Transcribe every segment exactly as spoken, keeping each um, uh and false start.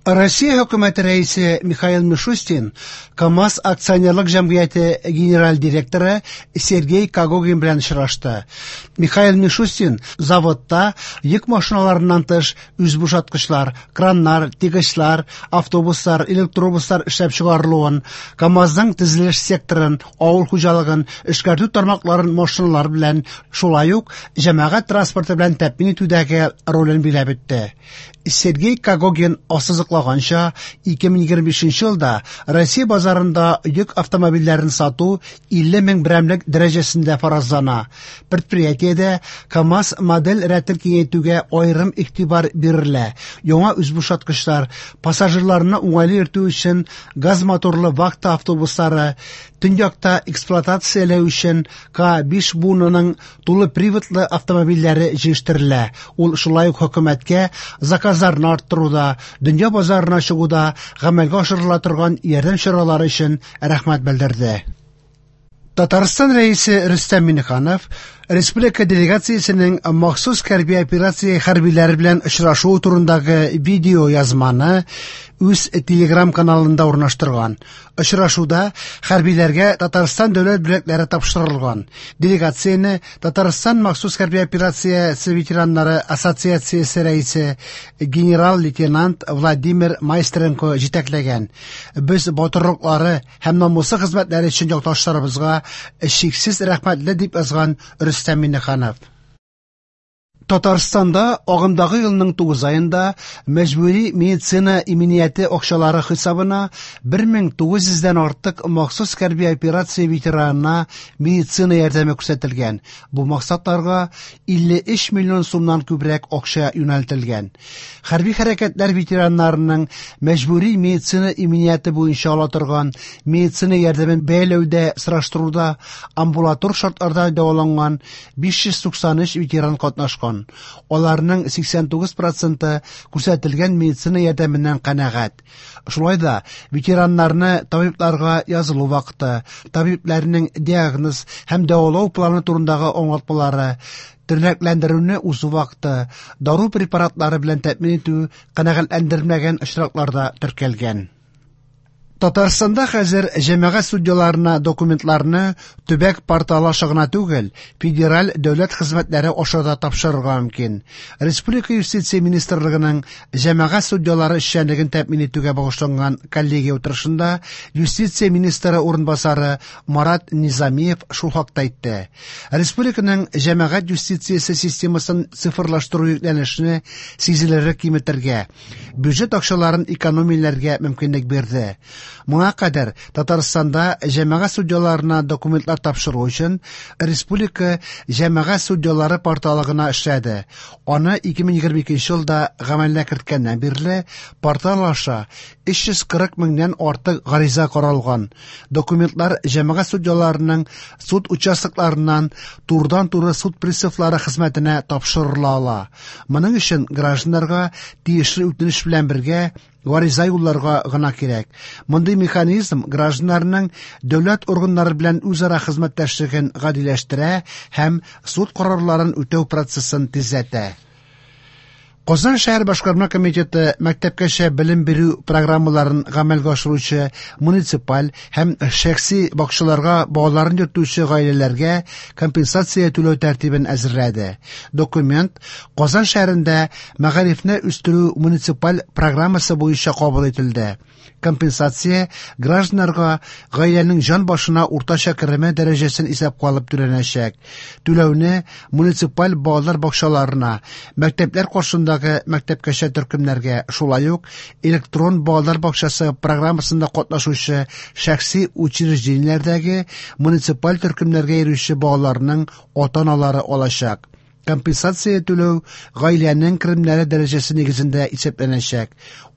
Россия хөкүмәте рәисе Михаил Мишустин КАМАЗ акционерлык җәмгыяте генераль директоры Сергей Когогин белән очрашты. Михаил Мишустин заводта йөк машиналарыннан тыш үзбушаткычлар, краннар, тягачлар, автобуслар, электробуслар эшләп чыгарылуын, КАМАЗның төзелеш секторын, авыл хуҗалыгын, эшкәртү тармакларын машиналар белән, шулай ук җәмәгать транспорты белән тәэмин итүдәге ролен биләп үтте. Сергей Когогин ассызыклаганча, ике мең егерме бишенче елда Россия базарында йөк автомобильләрен сату илле мең берәмлек дәрәҗәсендә фаразлана. Предприятиедә КАМАЗ модель рәтен киңәйтүгә аерым игътибар бирелә. Яңа үзбушаткычлар, пассажирларны уңайлы йөртү өчен газ моторлы вахта автобуслары, төньякта эксплуатацияләү өчен К биш буынының тулы приводлы автомобильләре җитештерелә. Ул шулай ук хөкүмәткә заказларны арттыруда, дөнья базарына чыгуда гамәлгә ашырыла торган ярдәм чаралары өчен рәхмәт белдерде. Татарстан рәисе Рөстәм Миңнеханов республика делегациясенең махсус хәрби операция хәрбиләре белән очрашуы турындагы видео язманы үз Телеграм каналында урнаштырган. Очрашуда хәрбиләргә Татарстан дәүләт бүләкләре тапшырылган. Делегацияне Татарстан махсус хәрби операциясе ветераннары ассоциациясе рәисе генерал-лейтенант Владимир Майстренко җитәкләгән. Без батырлыклары һәм намуслы хезмәтләре өчен якташларыбызга чиксез рәхмәтле, дип язган Рөстәм Миңнеханов. Татарстанда агымдагы елның тугыз аенда мәҗбүри медицина иминияте акчалары хисабына бер мең тугыз йөздән артык махсус хәрби операция ветеранына медицина ярдәме күрсәтелгән. Бу максатларга илле өч миллион сумнан күбрәк акча юнәлтелгән. Хәрби хәрәкәтләр ветераннарының мәҗбүри медицина иминияте буенча ала торган медицина ярдәмен бәяләүдә сораштыруда амбулатор шартларда дәваланган биш йөз туксан өч ветеран катнашкан. Аларның сиксән тугыз проценты күрсәтелгән медицина ярдәменнән канәгать. Шулай да ветераннарны табибларга язылу вакыты, табибләрнең диагноз һәм дәвалау планы турындагы аңлатмалары, тернәкләндерүне узу вакыты, дару препаратлары белән тәэмин итү канәгатьләндерелмәгән очракларда теркәлгән. Татарстанда хәзер җәмәгать судьяларына документларны төбәк порталы аша гына түгел, федераль дәүләт хезмәтләре аша да тапшырырга мөмкин. Республика юстиция министрлыгының җәмәгать судьялары эшчәнлеген тәэмин итүгә багышланган коллегия утырышында юстиция министры урынбасары Марат Низамиев шул хакта әйтте. Республиканың җәмәгать юстициясе системасын цифрлаштыру йөкләнешне сизелерлек киметергә, бюджет акчаларын экономияләргә мөмкинлек бирде. Моңа кадәр Татарстанда җәмәгать судьяларына документлар тапшыру өчен республика җәмәгать судьялары порталы гына эшләде. Аны ике мең егерме икенче елда гамәлгә керткәннән бирле портал аша өч йөз кырык меңнән артык гариза каралган. Документлар җәмәгать судьяларының суд участокларыннан турыдан-туры суд приставлары хезмәтенә тапшырыла ала. Моның өчен гражданнарга тиешле үтенеч белән бергә гариза юлларга гына кирәк. Мондый механизм гражданнарның дәүләт органнары белән үзара хезмәттәшлеген гадиләштерә һәм суд карарларын үтәү процессын тизләтә. Казан шәһәр башкарма комитеты мәктәпкәчә белем бирү программаларын гамәлгә ашыручы муниципаль һәм шәхси бакчаларга балаларын йөртүче гаиләләргә компенсация түләү тәртибен әзерләде. Документ Казан шәһәрендә мәгарифне үстерү муниципаль программасы буенча кабул ителде. Компенсация гражданнарга гаиләнең җан башына уртача кереме дәрәҗәсен исәпкә алып түләнәчәк. Түләүне муниципаль балалар бакчаларына, мәктәпләр каршындагы мәктәпкәчә төркемнәргә, шулай ук электрон балалар бакчасы программасында катнашучы шәхси учреждениеләрдәге муниципаль төркемнәргә йөрүче балаларның ата-аналары алачак. Компенсация түләү гаиләнең керемнәре дәрәҗәсе нигезендә исәпләнәчәк.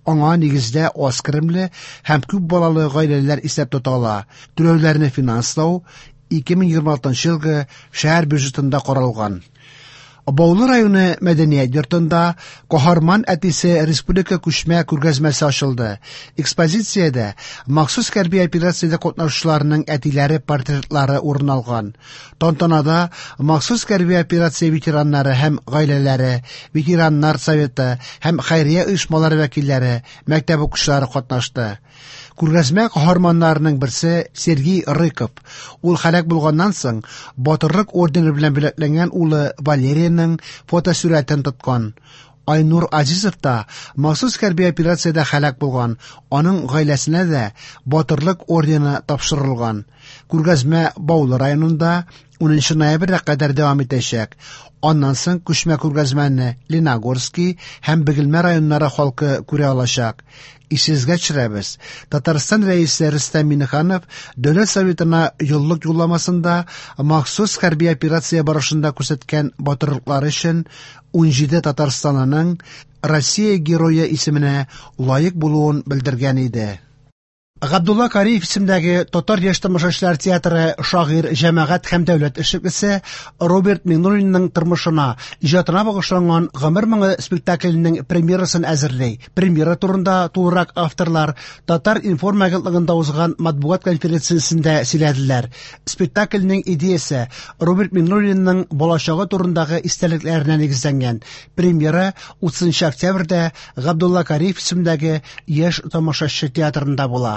Аңа нигездә аз керемле һәм күп балалы гаиләләр исәп тотыла. Түләүләрне финанслау ике мең егерме алтынчы елгы шәһәр бюджетында каралган. Баулы районы мәдәният йортында Каһарман әтисе республика күчмә күргәзмәсе ачылды. Экспозициядә махсус хәрби операциядә катнашучыларның әтиләре портретлары урын алган. Тантанада махсус хәрби операция ветераннары һәм гаиләләре, ветераннар советы һәм хәйрия оешмалары вәкилләре, мәктәп укучылары катнашты. Күргәзмә каһарманнарының берсе Сергей Рыков. Ул һәлак булганнан соң Батырлык ордены белән бүләкләнгән улы Валерийның фотосурәтен тоткан. Айнур Азизов та махсус хәрби операциядә һәлак булган. Аның гаиләсенә дә Батырлык ордены тапшырылган. Күргәзмә Баулы районында унынчы ноябрьгә кадәр дәвам итәчәк. Аннан соң күчмә күргәзмәне Леногорский һәм Бөгелмә районнары халкы күрә алачак. Исегезгә төшерәбез. Татарстан Рәисе Рөстәм Миңнеханов Дәүләт Советына еллык юлламасында махсус хәрби операция барышында күрсәткән батырлыклары өчен ун җиде татарстанлының Россия Герое исеменә лаек булуын белдергән иде. Габдулла Кариев исемдәге Татар яшь тамашачылар театры шагыйрь, җәмәгать һәм дәүләт эшлеклесе Роберт Миңнуллинның тормышына, иҗатына багышланган Гомер моңы спектакленең премьерасын әзерли. Премьера турында тулырак авторлар Татар информ агентлыгында узган матбугат конференциясендә сөйләделәр. Спектакльнең идеясе Роберт Миңнуллинның балачагы турындагы истәлекләренә нигезләнгән. Премьера утызынчы октябрьдә Габдулла Кариев исемдәге яшь тамашачы театрында була.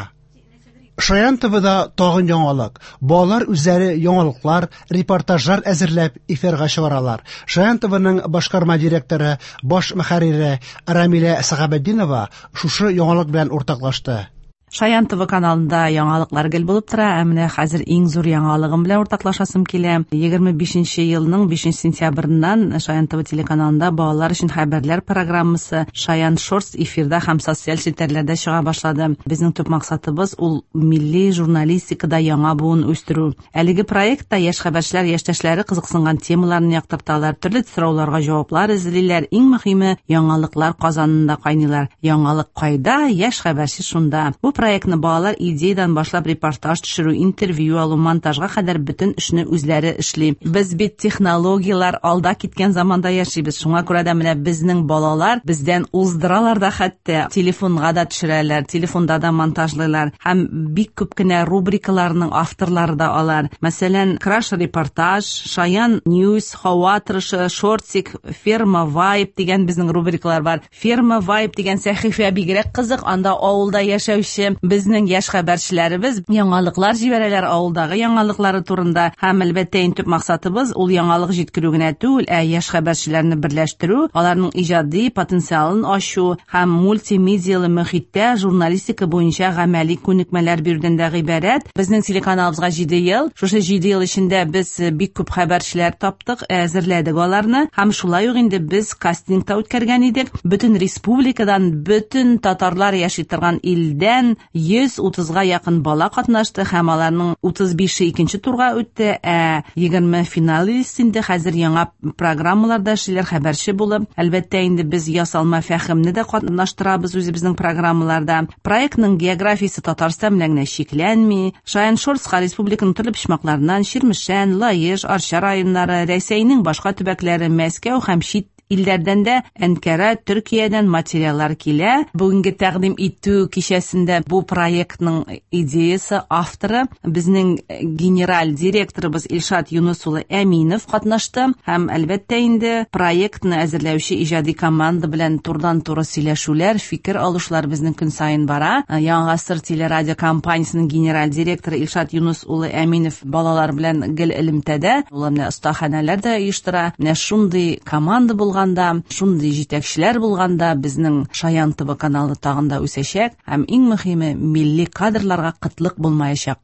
Шаян ТВ-да тагын яңалык. Балалар үзләре яңалыклар, репортажлар әзерләп эфирга чыгаралар. Шаян ТВ-ның башкарма директоры, баш мөхәррире Рамилә Сәхәбетдинова шушы яңалык белән уртаклашты. Шаян ТВ каналында яңалыклар гел булып тора. Ә менә хәзер иң зур яңалыгым белән уртаклашасым килә. Егерме бишенче елның бишенче сентябреннән Шаян ТВ телеканалында балалар өчен хәбәрләр программасы Шаян Шортс эфирда һәм социаль челтәрләрдә чыга башлады. Безнең төп максатыбыз ул милли журналистикада яңа буын үстерү. Әлеге проектта яшь хәбәрчеләр яшьтәшләре кызыксынган темаларны яктырталар, төрле сорауларга җаваплар эзлиләр. Иң мөһиме яңалыклар казанында кайныйлар. Яңалык кайда, яшь хәбәрче шунда. Бу проектны балалар идеядан башлап репортаж төшерү, интервью алу, монтажга кадәр бөтен эшне үзләре эшли. Без бит технологияләр алда киткән заманда яшибез. Шуңа күрә дә менә безнең балалар бездән уздыралар да, хәтта телефонга да төшерәләр, телефонда да монтажлыйлар. Һәм бик күп кенә рубрикаларның авторлары да алар. Мәсәлән, Краш репортаж, Шаян Ньюс, Һава торышы, Шортсик, Ферма Вайб дигән безнең рубрикалар бар. Ферма Вайб дигән сәхифә бигрәк кызык. Анда авылда яшәүче безнең яшь хәбәрчеләребез яңалыклар җибәрәләр авылдагы яңалыклары турында. Һәм әлбәттә иң төп максатыбыз ул яңалык җиткерү генә түгел, ә яшь хәбәрчеләрне берләштерү, аларның иҗади потенциалын ачу һәм мультимедиялы мөхиттә журналистика буенча гамәли күнекмәләр бирүдән дә гыйбарәт. Безнең телеканалыбызга җиде ел. Шушы җиде ел эчендә без бик күп хәбәрчеләр таптык, әзерләдек аларны. Һәм шулай ук инде без кастинг та үткәргән идек. Бөтен республикадан, бөтен татарлар яши торган илдән йөз утызга якын бала катнашты һәм аларның утыз бише икенче турга үтте, ә егерме финалист инде хәзер яңа программаларда эшлиләр, хәбәрче булып. Әлбәттә инде без ясалма фәһемне дә катнаштырабыз үзебезнең программаларда. Проектның географиясе Татарстан белән генә чикләнми. Шаян Шортска республиканың төрле почмакларыннан Чирмешән, Лаеш, Арча районнары, Рәсәйнең башка төбәкләре, Мәскәү һәм чит илләрдән дә, Әнкара, Төркиядән материаллар килә. Бүгенге тәкъдим итү кичәсендә бу проектның идеясы авторы безнең генераль директорыбыз Илшат Юнус улы Әминов катнашты һәм әлбәттә инде проектны әзерләүче иҗади команда белән турыдан-туры сөйләшүләр, фикер алышлар безнең көн саен бара. Яңа гасыр телерадио компаниясенең генераль директоры Илшат Юнус улы Әминов балалар белән гел элемтәдә, ул менә остаханәләр дә оештыра. Менә шундый команда булган, шундый җитәкчеләр булганда безнең Шаян ТВ каналы тагын да үсәчәк һәм иң мөһиме милли кадрларга кытлык булмаячак.